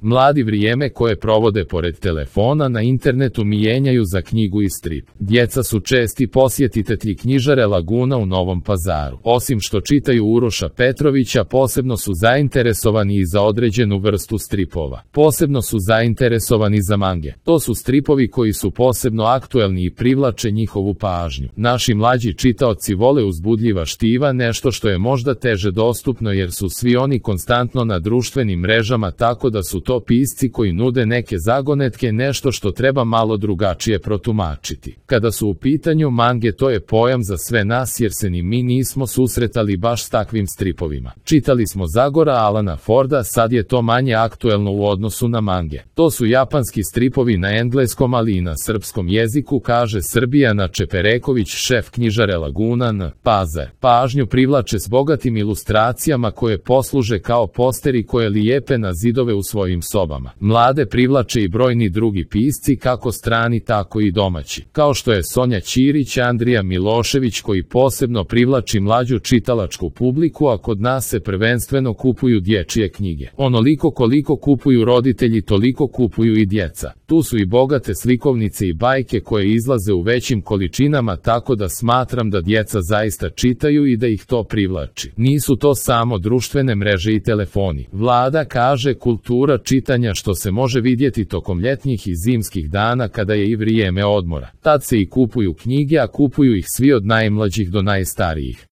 Mladi vrijeme koje provode pored telefona na internetu mijenjaju za knjigu i strip. Djeca su česti posjetitelji knjižare Laguna u Novom Pazaru. Osim što čitaju Uroša Petrovića, posebno su zainteresovani i za određenu vrstu stripova. Posebno su zainteresovani za mange. To su stripovi koji su posebno aktuelni i privlače njihovu pažnju. Naši mlađi čitaoci vole uzbudljiva štiva, nešto što je možda teže dostupno jer su svi oni konstantno na društvenim mrežama, tako da su to pisci koji nude neke zagonetke, nešto što treba malo drugačije protumačiti. Kada su u pitanju mange, to je pojam za sve nas jer se ni mi nismo susretali baš s takvim stripovima. Čitali smo Zagora Alana Forda, sad je to manje aktuelno u odnosu na mange. To su japanski stripovi na engleskom, ali i na srpskom jeziku, kaže Srbijana Čepereković, šef knjižare Laguna N. Pazar. Pažnju privlače s bogatim ilustracijama koje posluže kao posteri koje lijepe na zidove u svojim sobama. Mlade privlače i brojni drugi pisci, kako strani tako i domaći, kao što je Sonja Ćirić, Andrija Milošević, koji posebno privlači mlađu čitalačku publiku, a kod nas se prvenstveno kupuju dječje knjige. Onoliko koliko kupuju roditelji, toliko kupuju i djeca. Tu su i bogate slikovnice i bajke koje izlaze u većim količinama, tako da smatram da djeca zaista čitaju i da ih to privlači. Nisu to samo društvene mreže i telefoni. Vlada kaže kultura čitanja, što se može vidjeti tokom ljetnjih i zimskih dana kada je i vrijeme odmora. Tad se i kupuju knjige, a kupuju ih svi od najmlađih do najstarijih.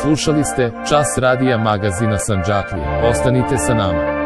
Slušali ste Čas radija magazina Sandžaklije. Ostanite sa nama.